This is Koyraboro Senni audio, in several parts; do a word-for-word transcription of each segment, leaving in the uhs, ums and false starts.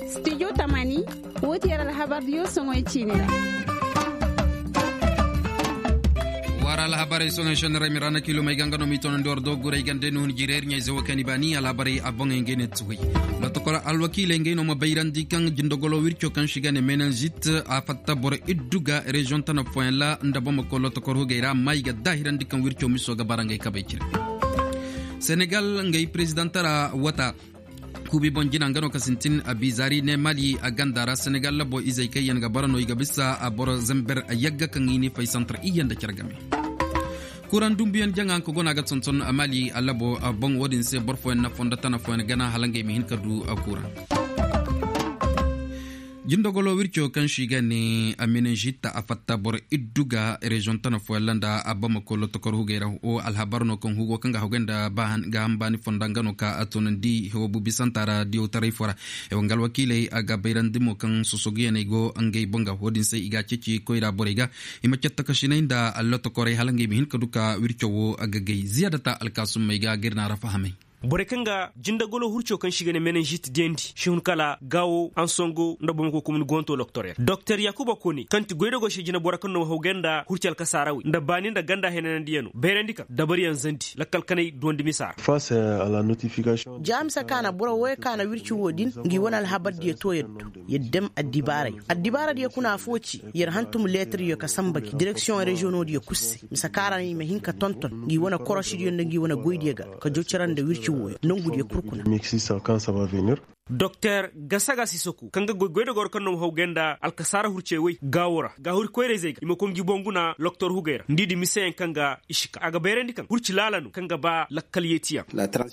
Studio tamani. Woo ti yer alhabardiyo soŋoy ciini ra. War alhabarey soŋoy šenni ra i ma ra na kiilomey ga nga no m'i toonandi war dooguray ganda ni hun jireeri ɲayze woo kaŋ i baani alhabarey a boŋey ngey ne tuwey. Lotokol alwakiiley ngey no ma bayrandi kaŋ jindogolo wirco kaŋ se i ga ne menanzit a fatta boro iddu ga reziyoŋ tana fooyaŋ ra nda bamako lotokol hugey ra amma i ga daahirandi kaŋ wirco miso ga bara ngey kabey cire. Senegal ngey perezidaŋ tara wata kuubi boŋ jina nga no ka sintin a biizaari ne mali a ganda ra senegal labo izey kaŋ yaŋ ga bara no i ga bisa a boro zember yagga kaŋ i ni fay santar iyye nda care game. Kuran dumbuyaŋ jaŋa nga ka gona ga tonton a mali a labo boŋ wo-din se boro fooyaŋ na fondo tana fooyaŋ gana hala ngey ma hin ka du a kuran. Jindogolo wirco kaŋ se i ga ne a menenžit a fatta boro iddu ga reziyoŋ tana fooyaŋ ra nda a bamako lotokor hugey ra wo alhabar no kaŋ hugo kaŋ ga hagay nda gaaham baani fonda nga no ka a toonandi hewo bubi santa ra diyawtaray fo ra. Hewo nga alwakiiley a ga bayrandi mo kaŋ sosoguyaney go ngey boŋ ga wo-din se i ga a ceeci koyra borey ga i ma cattakasinay nda lotokorey hala ngey ma hin ka du ka wirco wo a ga gay ziyaadata alkaasummey ga ga ir na a ra fahamay. Borey kaŋ ga jindagolo hurco kaŋ se i ga ne menenžit diyandi si hun kala gaawo ansongo nda bomako komini goonto doktor yaŋ doktor yaakuba koone kaŋ ti goydogoo se jinabora kaŋ no ma haw gay nda hurci alkasaara wey nda baani nda ganda henanandiyano bayrandi kaŋ dabariyaŋ zandi lakkal kanay duwandi misa ra. Ja mise ka na boro wooyo ka na wirci woo din ngi wane alhabardiyo too yer do yer dem addibaaray addibaaradiyo kuna afoo ci yer hantum leetaryo ka samba gi direksiyoŋ reziyoŋoodiyo kul se mise ka ra no i ma hin ka tonton ngi wane korosidiyo nda ngi wane goydiyo ga ka jocara nda wirci wooyo nongudiyo kul kuna. Doktor gasaga sisoku kaŋ ga goy goydogoro kaŋ no ma haw gay nda alkasaara hurcey woy gaawo ra ga huri koyrayzey ga i ma koy ngi boŋ guna loktor hugey ra nda i di miseyaŋ kaŋ ga i si ka a ga bayrandi kaŋ hurci laala no kaŋ ga ba lakkal yeetiyaŋ.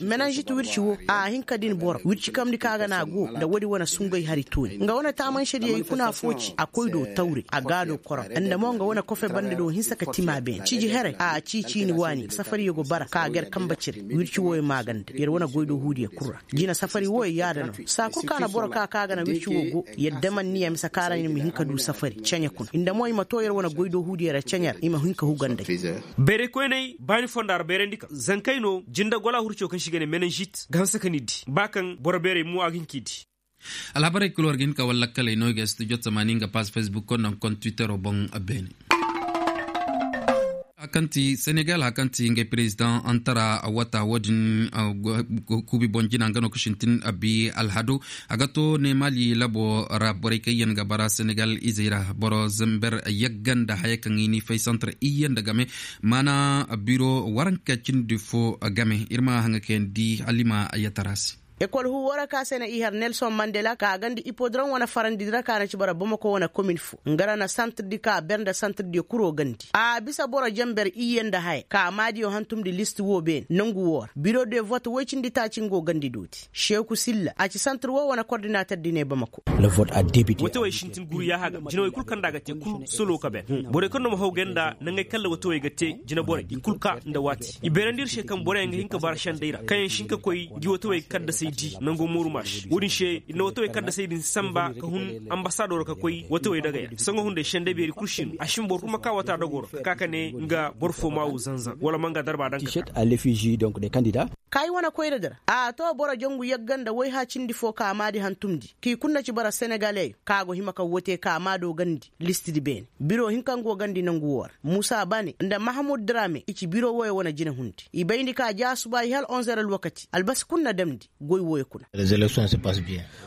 Menanžit wirci wo a hin ka din boro wirci kamndi kaŋ a ga na a go nda woodi wane sungay hari tooni nga wane taamansediyo i kuna foo ci a koy do tawre a gaado koro nda mo nga wane kofe banda do hinsa ka tima beene ciji here a cii ciini waani safariyo go bara ka a ga yer kambe cire wirci wooyo maaganda yer wane goy do huudiyo kul ra. Jina safari wooyo yaada no saa kul ka na boro ka ka a ga na wirci woo go yer damanniya mise ka ra no i ma hin ka du safari ceɲe kuna nda mo i ma too yer wane goy do huudiyo ra ceɲe ra i ma hin ka huga nd'ey. Bayraykoyney baani fonda ra bayrandi ka zankey no jinde gola hurco kaŋ se i ga ne menenžit ga hanse ka ni di ba kaŋ boro beerey mo a ga hin k'i di. Alhabarey kul war ga hin ka war lakkaley no i ga studio tamaani nga paas facebook konda nga konda twittero boŋ. Beene a kaŋ ti senegal a kaŋ ti ngey perezidaŋ antara wata wo-din kuubi boŋ jina nga no ka sintin abi alhado a ga to ne mali labo ra borey kaŋ yaŋ ga bara senegal izey ra boro zember yagga nda haya kaŋ i ni fay santar iyye nda game maana biro waranka cindi fo game ir ma haŋa kayandi halima yattara se. Ekol huuwo ra ka se na i har nelson mandela ka a gandi ipodrom wane farandi di ra ka na ci bara bamako wane komin fo nga ra na santirdi ka a ber nda santirdiyo kuro gandi a bisa boro jamber iyye nda haya ka maadiyo hantumdi list wo beene nangu wo ra biro de vote woy cindi taaci nga wo gandi dooti seeku silla a ci santir wo wane kordinater di ne bamako. Watawey sintin guru yaaha ga jinawey kul kaŋ nda a ga te kul solo ka ben borey kaŋ no ma haw gay nda nangey kaŋ ra watawey ga te jinaborey i kul ka nda waati i beerandi ir se kaŋ boroyaŋ ga hin ka bara sendey ra kaŋ yaŋ si hin ka koy ngi watawey kaddasey di nango mooru maasi wo-din se ir na watawey kaddasey din samba ka hun ambasadoro ka koy watawey dagaya saŋo hunday sendey beeri kul si no a si ma boro kul ma ka wata dogoro ka ka ka ne nga boro fo maawu zanzan wala ma nga darba daŋ ka ka. Ka i wane koyradi ra a to boro jangu yagga nda wayha cindi fo ka maadi hantumndi k'i kunna ci bara senegaleyo ka go hima ka wote ka maado gandi listidi beene biro hinka nga go gandi nangu woo ra muusa bane nda mahamud drame i ci biro woyo wane jinahundi i bayndi ka ja suba i hal onze heure alwakati albasi kul na damndi goy woyo kuna.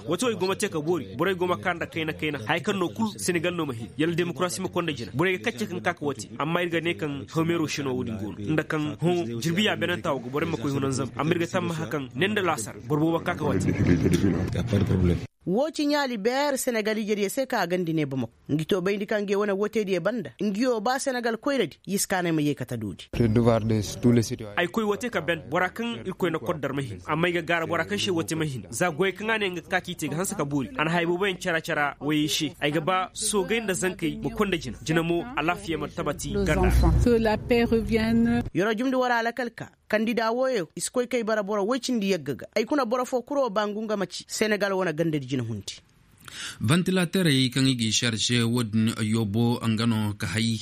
Watawey go ma te ka boori borey go ma ka nda kayna kayna haya kaŋ no kul senegal no ma hin yalla demokarasi ma konda jina borey ga kacce kaŋ ka ka wate amma ir ga ne kaŋ hawmeero sino wo-din go no nda kaŋ hõ jirbiya benantaa wo ga borey ma koy hunanzam amma ir ga tammaha kaŋ ne nda laasar boro boobo ka ka wate. Woo ci ɲaali beer senegal ijediyo se ka a gandi ne bamako ngi to bayndi kaŋ ngi wane woteediyo banda ngiyo ba senegal koyradi i si kaanay ma yee kate doodi. Ay koy wote ka ben bora kaŋ irkoy na kor dar ma hin amma ay ga gaara bora kaŋ se wote ma hin za goyey kaŋ a ne nga ga ka k'i te ga hanse ka boori a na haya booboyaŋ cara cara woyey se ay ga ba soogay nda zankey ma konda jina jina mo alaafiya ma tabati ganda. Yeroo jumndi war alakal ka kandida wooyo i si koy kay bara boro woy cindi yagga ga ay kuna boro foo kuroo ba ngu nga ma ci senegal wane gandadi jinahundi. Vantilaterey kaŋ i g'i sarse wo-din yoobo nga no ka hay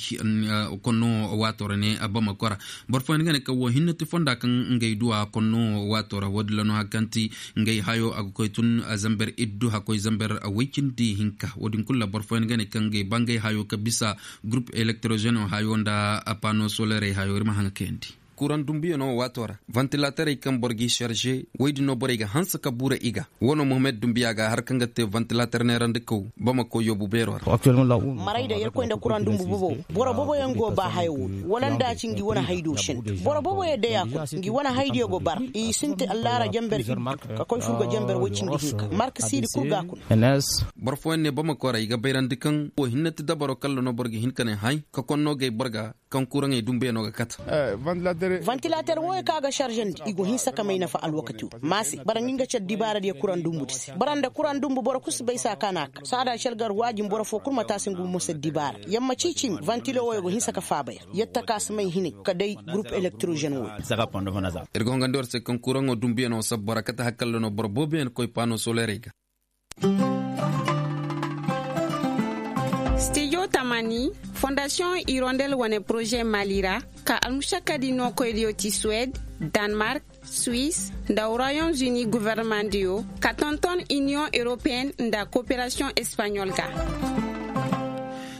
konno waato ra ne bamako ra. Boro fooyaŋ ga ne kaŋ wo hinne ti fonda kaŋ ngey duwa konno waato ra wo-din ra no hari kaŋ ti ngey hayo a ga koy tun zamber iddu hakkoy zamber woy cindi hinka wo-din kulu ra boro fooyaŋ ga ne kaŋ ngey ba ngey hayo ka bisa gurup elektorozeno hayo nda pano solerey hayo ir ma haŋa kayandi. Kuraŋ dumbuyaŋo waato ra vantilaterey kaŋ boro g'i sarze woy din no borey ga hanse ka buura i ga. Wo no mohammed dumbuya ga har kaŋ ga te vantilater neerandikaw bamako yoobu beero ra. Maray da yerkoy nda kuraŋ dumbu bobo. Boro boboyaŋ go ba haya wo wala nda a ci ngi wane haydiyo senda boro boboyaŋ day a koy ngi wane haydiyo go bara i sinti allaara jamber iddu ka koy furgo jamber woy cindi hinka marka siidi kul ga a kuna. Boro fooyaŋ ne bamako ra i ga bayrandi kaŋ wo hinne ti dabaro kalla no boro ga hin ka ne hay ka konno gay boro ga. Kaŋ kuraŋey dumbuyaŋo ga kate. Vantilater wooyo kaŋ a ga sarzandi i go hinsa ka may nafa alwakati wo maase bara ngi nga care dibaaradiyo kuraŋ dumbu di se bara nda kuraŋ dumbu boro kul si bay saa kaŋ a na a ka saada calgar waajin boro foo kul ma taasi ngu ma se dibaara yamma ciicimi vantilo wooyo go hinsa ka faaba ya. Yatta kaŋ a si may hinay ka day gurup elektirozen wooyo. Ir ga hongandi war se kaŋ kuraŋo dumbuyaŋo sabba ra kate hari kalla no boro booboyaŋ koy paano solerey ga. Stijo tamani fondasiyoŋ irondel wane poroze mali ra ka almušakkadi nookoydiyo ti suwed, danmark, suis, nda royaume uni governemandiyo ka tonton iniyoŋ europeyen nda koperasiyoŋ espaɲol ga.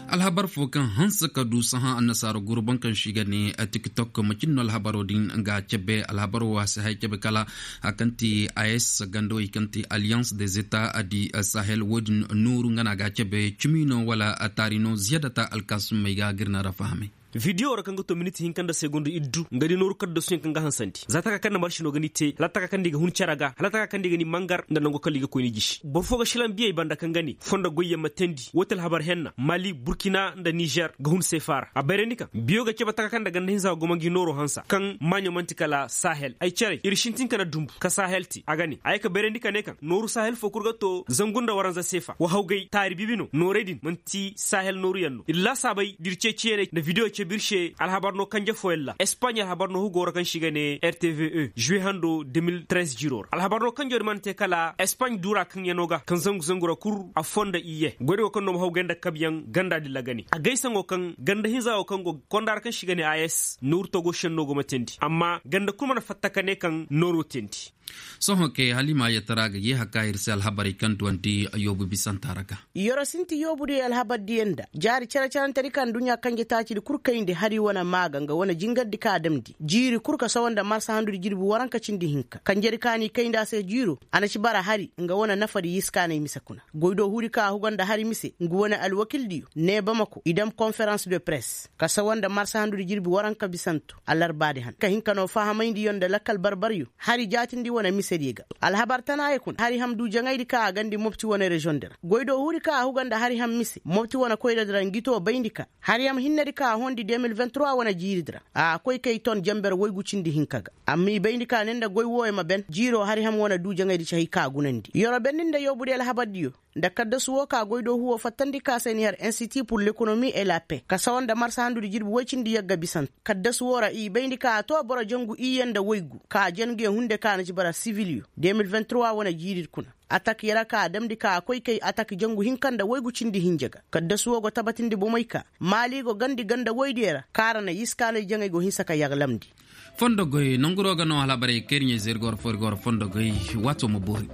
Alhabar fo kaŋ hanse ka du sahã annasaara guru boŋ kaŋ si ga ne tiktok macin no alhabaro din ga cebe alhabaro wo a si hay cebe kala. Hari kaŋ ti as gandawey kaŋ ti alliance des etats di sahel wo- din nooru nga no a ga cebe cimi no wala taari no ziyadata alkaasummey ga gir na ra fahamay. Vidiyo ra kaŋ ga to miniti hinka nda segondu iddu nga di nooru kaddasuyaŋ kaŋ ga hansandi za taka kaŋ na marsi no ga ni te hala taka kaŋ ni ga hun care ga hala taka kaŋ ni ga ni mangar nda nango kala i ga koy ni jisi boro fo ga silaŋ biyey banda kaŋ ga ne fondo goyyaŋ ma teendi woo ti alhabar henna mali burkina nda nizer ga hun seefa ra a bayrandi kaŋ biyo ga cebe taka kaŋ nda ganda hinza ga goma ngi nooro hansa kaŋ maaɲo man'ti kala sahel ay care ir sintin ka na dumbu ka sahel te a ga ne a ye ka bayrandi ka ne kaŋ nooru sahel fo kul ga to zangu nda waranza seefa wa hawgay taari bibi no noorey din man'ti sahel nooruyaŋ no ir laasaabey da ir ceeciyaney nda bidiyo cebe ir se alhabar no kanje fooyaŋ ra espaɲ alhabar no hugo ra kaŋ se i ga ne rtve žuwe hando de mil trez jiiro ra alhabar no kanjo din mana te kala espaɲ duura kaŋyano ga kaŋ zangu zangu ra kul affoo nda iyye goyda go kaŋ no ma hawgay nda kabyaŋ ganda din ra ga ne a gaysaŋo kaŋ ganda hinza wo kaŋ go ga konda ra kaŋ se i ga ne as nooru togo senno go ma teendi amma ganda kul mana fatta ka ne kaŋ nooro teendi. Sohõ kay hala i ma yeetara ga yeeha ka ir se alhabarey kaŋ duwandi yoobu bisanta ra ga. Yoro sinti yoobudiyo alhabardiyo nda jaari care-carante di kaŋ duɲɲa kanje taacidi kul kayndi hari wane maa ga nga wane jingardi kaŋ a damndi jiiri kul ka sawa nda marsa handudi jirbi waranka cindi hinka kanjedi kaŋ a n'i kayndi a se jiiro a na ci bara hari nga wane nafadi yiskaaney mise kuna. Goydoo huudi kaŋ a huga nda hari mise ngu wane alwakildiyo ne bamako i dam konferans de press ka sawa nda marsa handudi jirbi waranka bisanto alarbaadi han ka hin ka noo fahamayndi yo nda lakkal barbaryo. Hari jaatindi wane misediyo ga alhabar tanaayey kuna hari ham du jaŋaydi kaŋ a gandi mopti wane reziyoŋ di ra goydoo huudi kaŋ a huga nda hari ham mise mopti wane koyradi ra ngi too bayndi ka hari ham hinnedi kaŋ a hondi de mil vingt trois wane jiiridi ra a koy kay ton jamber woygu cindi hinka ga. Amma i bayndi ka ne nda goy wooyo ma ben jiiroo hari ham wane du jaŋaydi ci hay kaŋ a gunandi yoro benni nda yoobudiyo alhabardiyo nda kaddasu woo ka goydoo huwoo fattandi ka se ni har insiti pur lekonomi e la pe ka sawa nda marsa handudi jirbi woy cindi yagga bisanto kaddasu woo ra i bayndi ka a too boro jangu iyye nda woygu ka a janguyaŋ hunde ka a na ci bara sibiliyo de mil vingt trois wane jiiridi kuna. Atak yara ka a damndi ka a koy kay atak jangu hinka nda woygu cindi hinja ga kaddasu woo go tabatindi bomey ka maali go gandi ganda woydiyo ra kaŋ a ra na yiskaanay jaŋay go hinsa ka yaglamndi. Fondo goy nanguroo ga no alhabarey kaŋ ir ɲayze ir ga war foo ir ga war fondo goy. Waatoo ma boori.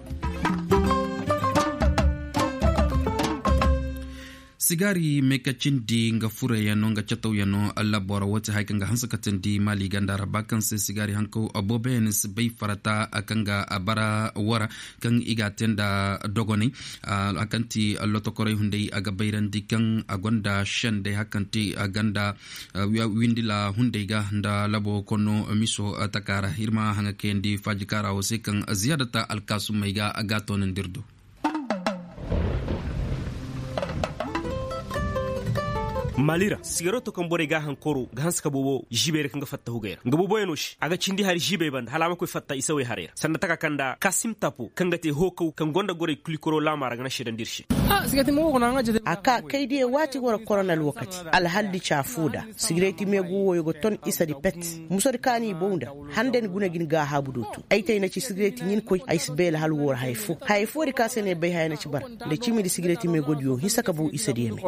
Sigaari meekacindi nga furayano nga catawyaŋo labora woo ti haya kaŋ ga hanse ka teendi maali ganda ra ba kaŋ se sigaari hankaw booboyaŋ si bay farata kaŋ ga bara woo ra kaŋ i ga a tee nda dogonay. Haya kaŋ ti lotokorey hunday a ga bayrandi kaŋ a gonda sendey haya kaŋ ti ganda windila hunday ga nda labo konno miso taka ra ir ma haŋa kayandi faaji kaara woo se kaŋ ziyaadata alkaasumey ga a ga a toonandi ir do. Mali ra sigareto kaŋ borey ga a hankoro ga hanse ka boobo ziibey ra kaŋ ga fatta hugey ra nga booboyaŋo se a ga cindi hari ziibey banda hala a ma koy fatta isawey harey ra sanda taka kaŋ nda kasim tapo kaŋ ga te hookaw kaŋ gonda gorey kulikoro laama ra ga na seedandi ir se. A ka kay diya waati war koronal wakati alhaldi ca foo da sigireti meegu wooyo ga ton isadi pet. Musadi ka n'i bow nda hande ni guna ga ni gaahaabu do tun ay te ay na ci sigireti ɲin koy ay si beela hal woo ra haya foo haya foodi ka se no ay bay haya na ci bara nda cimindi sigireti meegodiyo hinsa ka bow isadiyo me.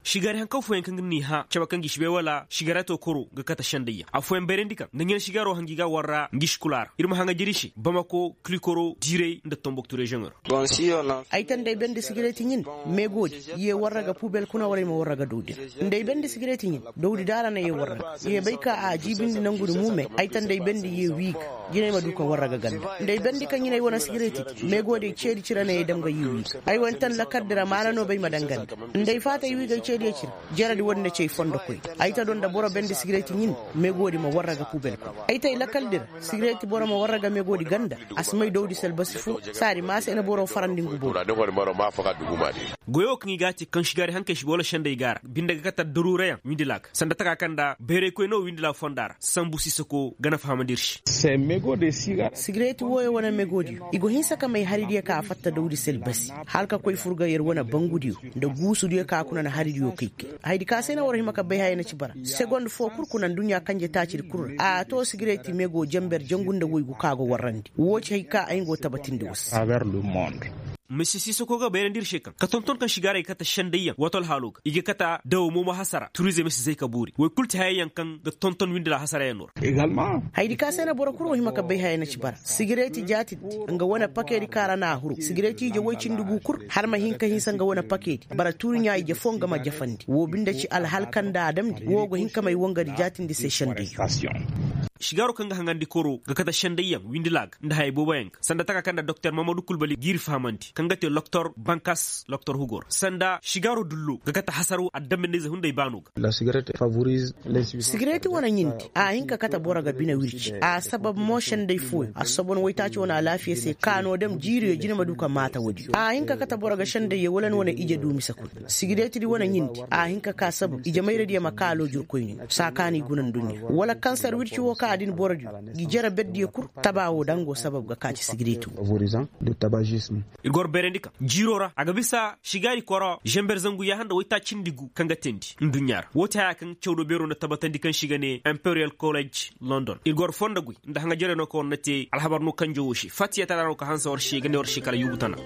Sigaari hankaw fooyaŋ kaŋ ga n'i hã cabe kaŋ ga i si bay wala sigareto koro ga kate sendayyaŋ afooyaŋ bayrandi kaŋ nda ɲina sigaaro hangi ga warra ngi si kula ra ir ma haŋa jiri se bamako kilikoro diiray nda tomboktu reziyoŋo ra. Ay ta nda ay bandi sigireti ɲin meegoodi ye warra ga pubel kuna wala ay ma warra ga dawdi ra nda ay bandi sigireti ɲin dawdi daara na ye warra ga ye bay ka a jiibindi nangudi muumey ay ta nda ay bandi ye wii ga jina ay ma du ka warra ga ganda nda ay bandi ka ɲin ay wane sigireti di meegoodi ay ceedi cira na ye dam ga ye wii ga ay wane tan lakardi ra maana no bay ma daŋ ganda nda ay faata ay wii ga ay ceediyo cira. Jaradi woodi na ci ay fondo koy ay ta doŋ nda boro bandi sigireti ɲin meegoodi ma warra ga pubel koy ay ta ay lakaldi ra sigireti boro ma warra ga meegoodi ganda a si may dawdi se albasi foo saadi maase na boro farandi ngu boro. Goyo kaŋ i ga a te kaŋ sigaari hankey si boro sendey ga a ra binde ga kate daruurayaŋ windila ga sanda taka kaŋ nda bayraykoy no windila fonda ra sambu sisako ga na fahamandi ir se. Sigireti wooyo wane megoodiyo i go hinsa ka may haridiyo ka a fatta dawdi se albasi hala ka koy fur ga yer wane bangudiyo nda guusudiyo ka kuna na haridiyo kay kay hayadi ka se na war hima ka bay haya na ci bara segond foo kul kuna nduɲɲa kanje taacidi kul ra a to sigireti mego jenber jangu nda woygu ka go warrandi woo ci hay ka ay nga wo tabatindi war se. Misi sisako ga bayrandi ir se kaŋ ka tonton kaŋ sigaarey ga kate sendayyaŋ wato alhaalo ga i ga kate dawo moomo hasara turizem si zay ka boori woy kul ti hayayaŋ kaŋ ga tonton windila hasarayaŋ no ra. Hayadi ka se na boro kul wo hima ka bay haya na ci bara sigireti jaatindi nga wane pakeedi kaŋ ra na a huru sigireti ije woy cindi gu kul hala ma hin ka hinsa nga wane pakeedi bara tuuri ɲaa ije foo nga ma jafandi woo binde ci alhal kaŋ nda a damndi woo go hin ka may wangadi jaatindi se sendayyaŋ. Sigaaro kaŋ ga haŋandi koro ga kate sendayyaŋ windila ga nda haya booboyaŋ ga sanda taka kaŋ nda doktor mahamadu kulbali g'i ir fahamandi kaŋ ga te loktor bankas loktor hugo ra sanda sigaaro dullo ga kate hasaro adambandize hunday baano ga. Sigireti wane ɲindi a hin ka kate boro ga bine wirci a sabab mo senday fooyo a si sobo ni waytaaci wane alaafiya se ka no dam jiiriyo jine ma du ka maata woodiyo a hin ka kate boro ga sendayyo wala ni wane ije du mise kul. Sigiretidi wane ɲindi a hin ka ka sabab ijemayradiyo ma ka loojurkoyni saa ka no i guna nduɲɲa wala kansar wirci wo ka a din borodiyo ngi jere berdiyo kul. Taba wo daŋ go sabab ga ka ci sigireti wo. Ir goro bayrandi kaŋ jiiro ra a ga bisa sigaari koro zember zangu yaaha nda waytaaci cindi gu kaŋ ga teendi nduɲɲa ra woo ti haya kaŋ cawdo beero nda tabatandi kaŋ se i ga ne imperiyal kolej london ir goro fondo goy nda haŋajerey no kaŋ war na te alhabar no kanjo wo se fattiyataraa no ka hanse war se i ga ne war se kala yuubu tana.